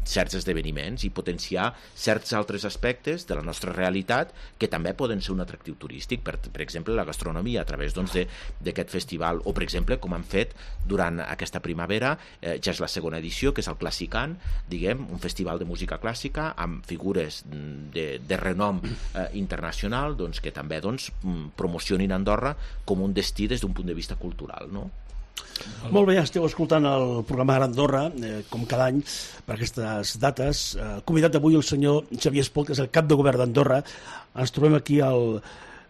certs esdeveniments i potenciar certs altres aspectes de la nostra realitat que també poden ser un atractiu turístic, per, per exemple la gastronomia a través doncs, d'aquest festival, o per exemple com han fet durant aquesta primavera, eh, ja és la segona edició, que és el Classicant, diguem, un festival de música clàssica amb figures de, de renom eh, internacional, doncs, que també doncs, promocionin Andorra com un destí des d'un punt de vista cultural, no? Molt bé, esteu escoltant el programa Ara Andorra, eh, com cada any, per aquestes dates. Eh, convidat avui el senyor Xavier Espot, que és el cap de govern d'Andorra. Ens trobem aquí al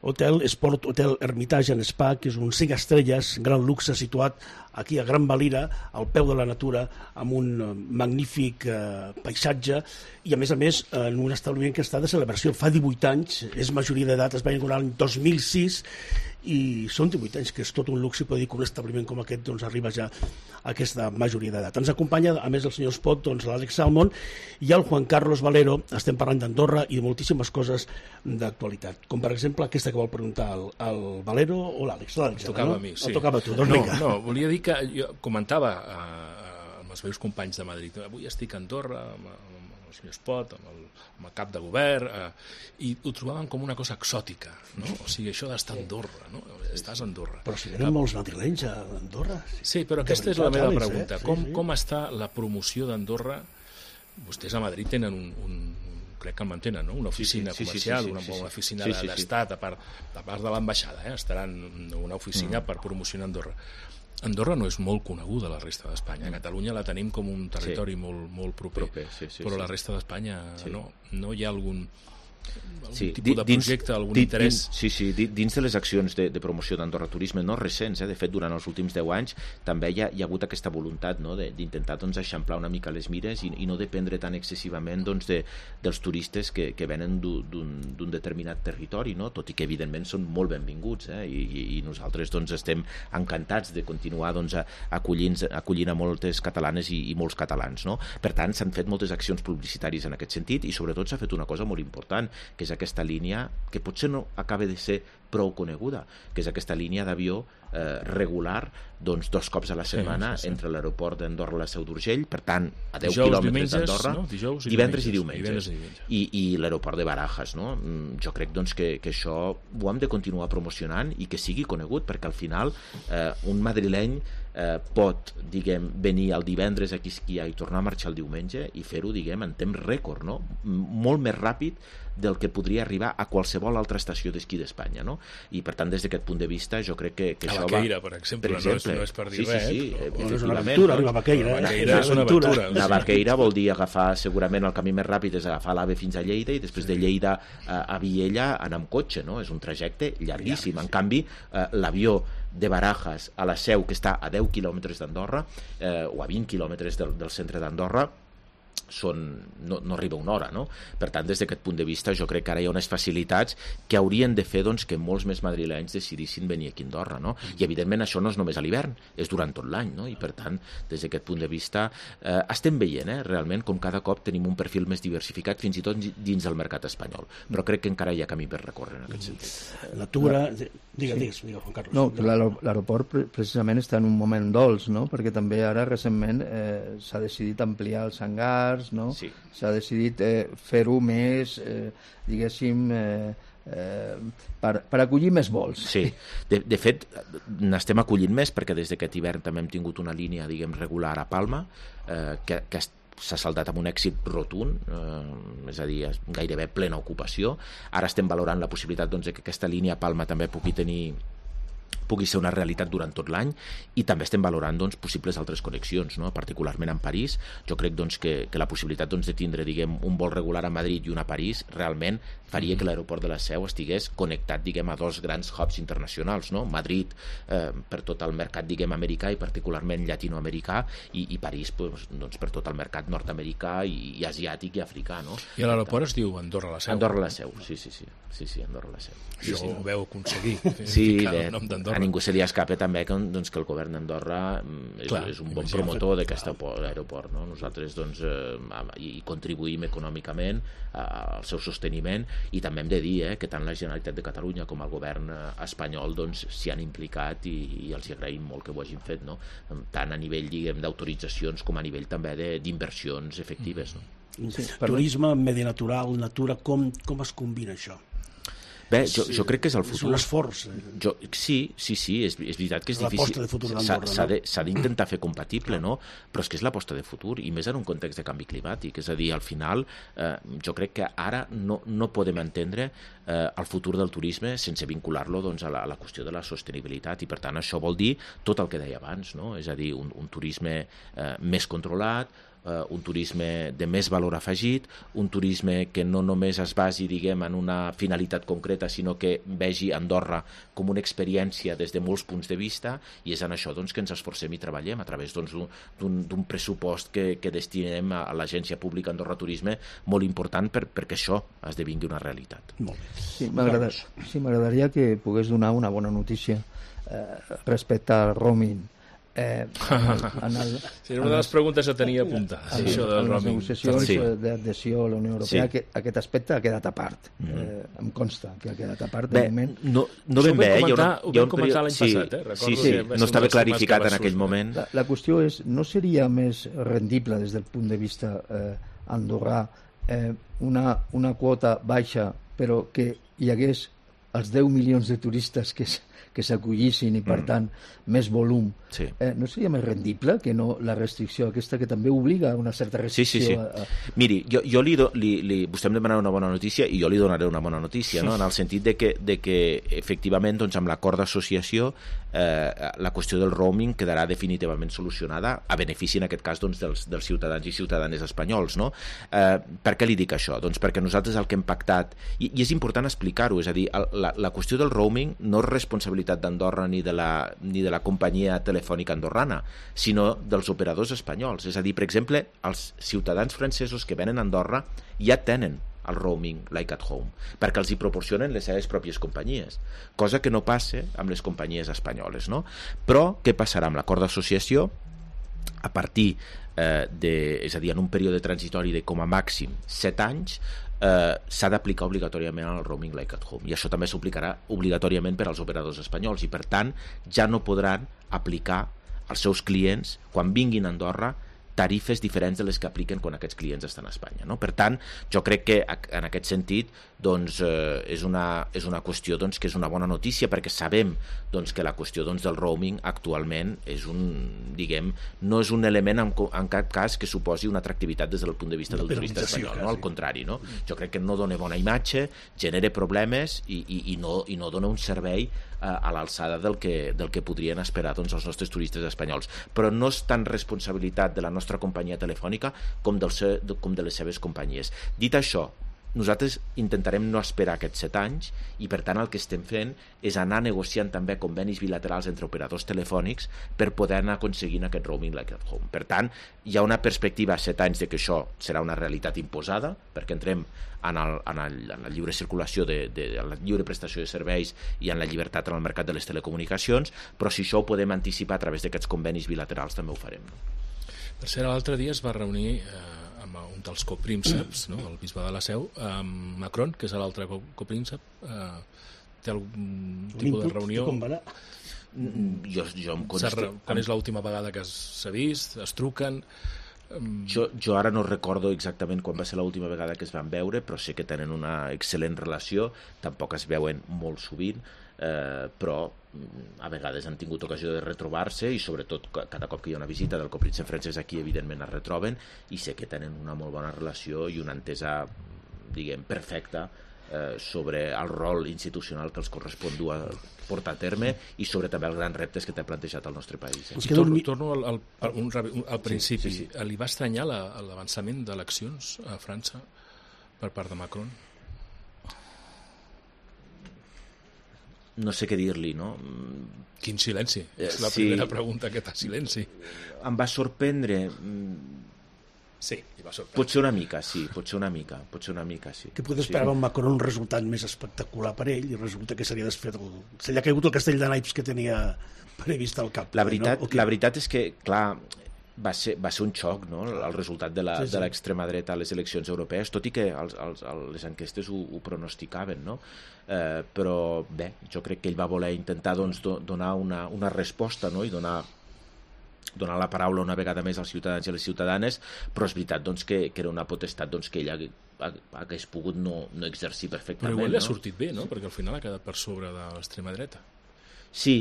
Hotel Esport Hotel Hermitage and Spa, que és un cinc estrelles, gran luxe, situat aquí a Gran Valira, al peu de la natura, amb un magnífic eh, paisatge, i a més a més en un establiment que està de celebració fa divuit anys, és majoria d'edat, es va inaugurar l'any dos mil sis, i són divuit anys, que és tot un luxe, i poder dir que un establiment com aquest doncs, arriba ja a aquesta majoria d'edat. Ens acompanya, a més del senyor Espot, doncs, l'Àlex Salmon i el Juan Carlos Valero. Estem parlant d'Andorra i de moltíssimes coses d'actualitat, com per exemple aquesta que vol preguntar el, el Valero o l'Àlex. L'Àlex, tocava no? a mi, sí. El tocava a tu, doncs no, vinga. No, volia dir que jo comentava eh, amb els meus companys de Madrid, avui estic a Andorra, amb, amb el senyor Espot, amb el, amb el cap de govern, eh, i ho trobaven com una cosa exòtica, no? O sigui, això d'estar a Andorra, no? Estàs a Andorra. Però si venen molts madrilenys a Andorra. Sí, però aquesta és la meva pregunta. Eh? Sí, com, sí. com està la promoció d'Andorra? Vostès a Madrid tenen un, un crec que el mantenen, no? Una oficina sí, sí, comercial, sí, sí, sí, sí, sí. una oficina sí, sí, d'estat, a part, a part de l'ambaixada, eh? Estaran una oficina mm. per promocionar Andorra. Andorra no és molt coneguda a la resta d'Espanya. A Catalunya la tenim com un territori sí. molt, molt proper, proper sí, sí, però sí. la resta d'Espanya sí. no, no hi ha algun, Sí, tipus de projecte, algun dins, interès... Dins, sí, sí, dins de les accions de, de promoció d'Andorra Turisme, no recents, eh? De fet, durant els últims deu anys també hi ha, hi ha hagut aquesta voluntat, no? d'intentar doncs, eixamplar una mica les mires i, i no dependre tan excessivament doncs, de, dels turistes que, que venen d'un determinat territori, no? Tot i que evidentment són molt benvinguts, eh? I, i, i nosaltres doncs, estem encantats de continuar doncs, acollint, acollint a moltes catalanes i, i molts catalans. No? Per tant, s'han fet moltes accions publicitàries en aquest sentit i sobretot s'ha fet una cosa molt important, que és aquesta línia que potser no acaba de ser prou coneguda, que és aquesta línia d'avió eh, regular doncs, dos cops a la setmana sí, sí, sí. entre l'aeroport d'Andorra i la Seu d'Urgell, per tant, a deu quilòmetres d'Andorra, no? Dijous i divendres i diumenges, diumenges, i, diumenges. I, i l'aeroport de Barajas. No? Jo crec doncs, que, que això ho hem de continuar promocionant i que sigui conegut, perquè al final eh, un madrileny eh, pot, diguem, venir el divendres a Quisquia i tornar a marxar el diumenge i fer-ho, diguem, en temps rècord, no? Molt més ràpid del que podria arribar a qualsevol altra estació d'esquí d'Espanya, no? I per tant, des d'aquest punt de vista, jo crec que, que a això Baqueira, va... per exemple, per exemple, no, és, no és per dir sí, res, sí, sí, però, però és una aventura, arribar a Baqueira. Eh? Baqueira és una aventura. Una Baqueira vol dir agafar, segurament el camí més ràpid és agafar l'AVE fins a Lleida i després de Lleida a, a Viella anar amb cotxe, no? És un trajecte llarguíssim. En canvi, eh, l'avió de Barajas a la Seu, que està a deu quilòmetres d'Andorra, eh, o a vint quilòmetres del, del centre d'Andorra, són, no, no arriba una hora, no? Per tant, des d'aquest punt de vista, jo crec que ara hi ha unes facilitats que haurien de fer doncs, que molts més madrilenys decidissin venir aquí a Andorra, no? I evidentment això no és només a l'hivern, és durant tot l'any, no? I per tant, des d'aquest punt de vista eh, estem veient, eh, realment, com cada cop tenim un perfil més diversificat, fins i tot dins del mercat espanyol, però crec que encara hi ha camí per recórrer en aquest sentit. Natura... Digues, digues, digues, Juan Carlos. No, l'aeroport precisament està en un moment dolç, no? Perquè també ara recentment eh, s'ha decidit ampliar els hangars, no? Sí. S'ha decidit eh, fer-ho més, eh, diguéssim, eh, eh, per, per acollir més vols. Sí, de, de fet n'estem acollint més perquè des d'aquest hivern també hem tingut una línia, diguem, regular a Palma, eh, que, que s'ha saldat amb un èxit rotund, eh, és a dir, gairebé plena ocupació. Ara estem valorant la possibilitat doncs, que aquesta línia a Palma també pugui tenir pugui ser una realitat durant tot l'any i també estem valorant doncs, possibles altres connexions, no? Particularment en París. Jo crec doncs, que, que la possibilitat doncs, de tindre diguem, un vol regular a Madrid i un a París realment faria que l'aeroport de la Seu estigués connectat diguem, a dos grans hubs internacionals, no? Madrid eh, per tot el mercat diguem, americà i particularment llatinoamericà i, i París pues, doncs, per tot el mercat nord-americà i, i asiàtic i africà. No? I l'aeroport es diu Andorra la Seu? Andorra la Seu, sí, sí, sí, sí, sí Andorra la Seu. Això sí, sí, ho veu aconseguir, sí, ficar de, el nom d'Andorra. A ningú se li escapa també que, doncs, que el govern d'Andorra és, Clar, és un bon promotor d'aquest aeroport. No? Nosaltres doncs, eh, hi contribuïm econòmicament al seu sosteniment i també hem de dir eh, que tant la Generalitat de Catalunya com el govern espanyol s'hi doncs, han implicat i, i els agraïm molt que ho hagin fet, no? Tant a nivell d'autoritzacions com a nivell també d'inversions efectives. No? Sí, turisme, medi natural, natura, com, com es combina això? Bé, jo, jo crec que és el futur. És un esforç. Jo, sí, sí, sí, és, és veritat que és difícil. L'aposta de futur d'Andorra, no? S'ha d'intentar fer compatible, no? Però és que és l'aposta de futur, i més en un context de canvi climàtic. És a dir, al final, eh, jo crec que ara no, no podem entendre eh, el futur del turisme sense vincular-lo doncs, a, la, a la qüestió de la sostenibilitat, i per tant això vol dir tot el que deia abans, no? És a dir, un, un turisme eh, més controlat, Uh, un turisme de més valor afegit, un turisme que no només es basi diguem, en una finalitat concreta, sinó que vegi Andorra com una experiència des de molts punts de vista, i és en això doncs, que ens esforcem i treballem a través doncs, d'un pressupost que, que destinem a, a l'Agència Pública Andorra Turisme molt important per, perquè això esdevingui una realitat. Molt bé. Sí, m'agradaria sí, m'agradaria que pogués donar una bona notícia eh, respecte al roaming. Eh, en el, sí, una de les preguntes que tenia apuntades, sí, això del roaming. En les negociacions sí. d'adhesió a la Unió Europea, sí. aquest, aquest aspecte ha quedat a part. Mm -hmm. eh, em consta que ha quedat a part. Bé, de moment. no, no ben bé, eh? Hi ha una, ho vam comentar l'any sí, passat, eh? Recordo sí, sí, que no estava clarificat en aquell moment. La, la qüestió és, no seria més rendible des del punt de vista eh, andorrà eh, una, una quota baixa, però que hi hagués els deu milions de turistes que que s'acollissin i, per mm. tant, més volum. Sí. Eh, no seria més rendible que no la restricció aquesta, que també obliga a una certa restricció? Sí, sí, sí. A, a... Miri, jo, jo li, do, li, li, vostè em demanarà una bona notícia i jo li donaré una bona notícia, no? En el sentit de que, de que efectivament, doncs, amb l'acord d'associació eh, la qüestió del roaming quedarà definitivament solucionada a benefici, en aquest cas, doncs, dels, dels ciutadans i ciutadanes espanyols, no? Eh, per què li dic això? Doncs perquè nosaltres el que hem pactat, i, i és important explicar-ho, és a dir, el, la, la qüestió del roaming no és responsabilitat d'Andorra ni de la, ni de la companyia telefònica andorrana, sinó dels operadors espanyols. És a dir, per exemple, els ciutadans francesos que venen a Andorra ja tenen el roaming like at home, perquè els hi proporcionen les seves pròpies companyies, cosa que no passa amb les companyies espanyoles, no? Però què passarà amb l'acord d'associació? A partir eh, de, és a dir, en un període transitori de com a màxim set anys, eh, s'ha d'aplicar obligatòriament el roaming like at home, i això també s'aplicarà obligatòriament per als operadors espanyols, i per tant ja no podran aplicar als seus clients, quan vinguin a Andorra, tarifes diferents de les que apliquen quan aquests clients estan a Espanya, no? Per tant, jo crec que en aquest sentit doncs, eh, és, una, és una qüestió doncs, que és una bona notícia, perquè sabem doncs, que la qüestió doncs, del roaming actualment és un, diguem, no és un element en, en cap cas que suposi una atractivitat des del punt de vista del turista espanyol, no? Al contrari, no? Jo crec que no dona bona imatge, genera problemes i, i, i, no, i no dona un servei a l'alçada del que, del que podrien esperar doncs, els nostres turistes espanyols. Però no és tan responsabilitat de la nostra companyia telefònica com, del se, com de les seves companyies. Dit això, nosaltres intentarem no esperar aquests set anys i per tant el que estem fent és anar negociant també convenis bilaterals entre operadors telefònics per poder anar aconseguint aquest roaming like at home. Per tant, hi ha una perspectiva a set anys de que això serà una realitat imposada, perquè entrem en, el, en, el, en la lliure circulació de, de, en la lliure prestació de serveis i en la llibertat en el mercat de les telecomunicacions, però si això ho podem anticipar a través d'aquests convenis bilaterals també ho farem. Per cert, l'altre dia es va reunir eh, amb un dels coprínceps, no? El bisbe de la Seu, amb Macron, que és l'altre copríncep. Eh, té algun tipus de reunió? Com va anar? Jo, jo em consta... Quan és l'última vegada que s'ha vist? Es truquen? Jo, jo ara no recordo exactament quan va ser l'última vegada que es van veure, però sé que tenen una excel·lent relació, tampoc es veuen molt sovint, eh, però a vegades han tingut ocasió de retrobar-se i sobretot cada cop que hi ha una visita del copríncep francès aquí evidentment es retroben i sé que tenen una molt bona relació i una entesa, diguem, perfecta eh, sobre el rol institucional que els correspon dur a portar a terme i sobre també els grans reptes que té plantejat el nostre país. Eh? Torno, torno al, al, al, un, al principi. Sí, sí, sí. Li va estranyar l'avançament d'eleccions a França per part de Macron? No sé què dir-li, no? Quin silenci. Eh, és la sí. primera pregunta, aquest silenci. Em va sorprendre... Sí, li va sorprendre. Potser una mica, sí, potser una mica, potser una mica, sí. Que poder esperar sí. un Macron un resultat més espectacular per ell i resulta que s'havia desfet el... Se li ha caigut el castell de naips que tenia previst al cap. La veritat, no? Okay. La veritat és que, clar, va ser, va ser un xoc, no?, el resultat de la, sí, sí. de l'extrema dreta a les eleccions europees, tot i que els, els, les enquestes ho, ho pronosticaven, no? Eh, però bé, jo crec que ell va voler intentar doncs, do, donar una, una resposta, no?, i donar donar la paraula una vegada més als ciutadans i a les ciutadanes, però és veritat doncs, que, que era una potestat doncs, que ell hagués pogut no, no exercir perfectament. Però igual li ha no? sortit bé, no?, perquè al final ha quedat per sobre de l'extrema dreta. Sí,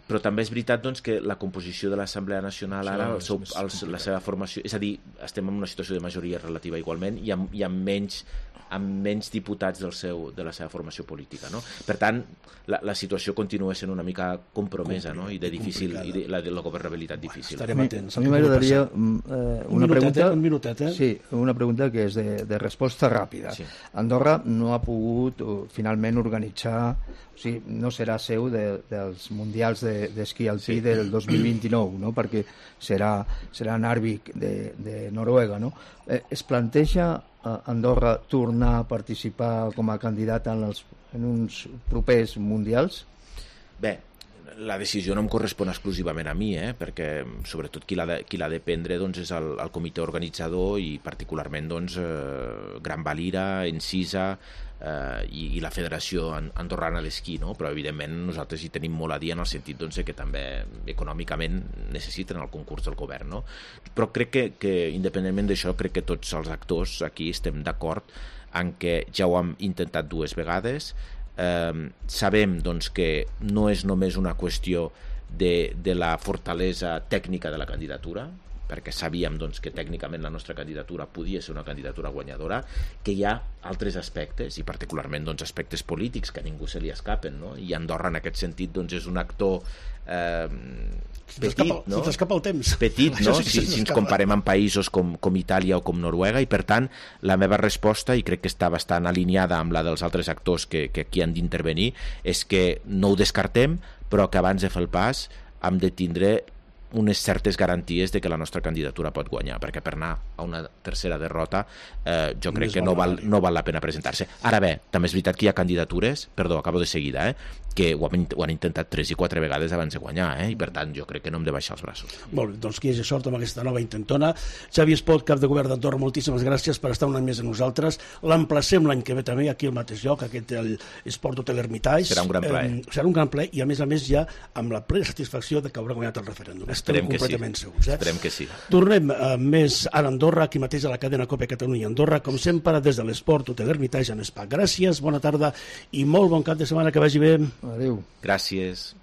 però també és veritat doncs, que la composició de l'Assemblea Nacional ara, el seu, el, la seva formació, és a dir, estem en una situació de majoria relativa igualment i amb, i amb menys amb menys diputats del seu, de la seva formació política, no? Per tant, la, la situació continua sent una mica compromesa, no?, i de difícil, i de, la, de la governabilitat difícil. Estarem atents. A mi m'agradaria eh, una minutet, pregunta... Un minutet, eh? Sí, una pregunta que és de, de resposta ràpida. Sí. Andorra no ha pogut uh, finalment organitzar, o sigui, no serà seu de, dels mundials d'esquí de, alpí sí. del dos mil vint-i-nou, no?, perquè serà, serà en Narvik de, de Noruega, no? Eh, es planteja Andorra tornar a participar com a candidat en, els, en uns propers mundials? Bé, la decisió no em correspon exclusivament a mi, eh? Perquè sobretot qui l'ha de, qui l'ha de prendre doncs, és el, el comitè organitzador i particularment doncs, eh, Gran Valira, Encisa eh, i, i la Federació Andorrana d'Esquí, no? Però evidentment nosaltres hi tenim molt a dir en el sentit doncs, que també econòmicament necessiten el concurs del govern, no? Però crec que, que independentment d'això, crec que tots els actors aquí estem d'acord en que ja ho hem intentat dues vegades. Eh, sabem doncs, que no és només una qüestió de, de la fortalesa tècnica de la candidatura, perquè sabíem doncs, que tècnicament la nostra candidatura podia ser una candidatura guanyadora, que hi ha altres aspectes, i particularment doncs, aspectes polítics que a ningú se li escapen, no? I Andorra en aquest sentit doncs, és un actor eh, petit, no? Si t'escapa el temps. Petit, no? Si, si ens comparem amb països com, com Itàlia o com Noruega, i per tant la meva resposta, i crec que està bastant alineada amb la dels altres actors que, que aquí han d'intervenir, és que no ho descartem, però que abans de fer el pas hem de tindre unes certes garanties de que la nostra candidatura pot guanyar, perquè per anar a una tercera derrota eh, jo crec que no val, no val la pena presentar-se. Ara bé, també és veritat que hi ha candidatures, perdó, acabo de seguida, eh, que ho han, ho han intentat tres i quatre vegades abans de guanyar, eh, i per tant jo crec que no hem de baixar els braços. Molt bé, doncs que hi hagi sort amb aquesta nova intentona. Xavi Espot, cap de govern d'Andorra, moltíssimes gràcies per estar un any més amb nosaltres. L'emplacem l'any que ve també aquí al mateix lloc, aquest el Esport Hotel Hermitage. Serà un gran plaer. Eh, serà un gran plaer i a més a més ja amb la plena satisfacció de que haurà guanyat el referèndum. Esperem que sí. Segurs, eh? Esperem que sí. Tornem eh, més a Andorra, aquí mateix a la cadena Cope Catalunya Andorra, com sempre des de l'Esport Hotel Hermitage en Spa. Gràcies, bona tarda i molt bon cap de setmana, que vagi bé. Adéu. Gràcies.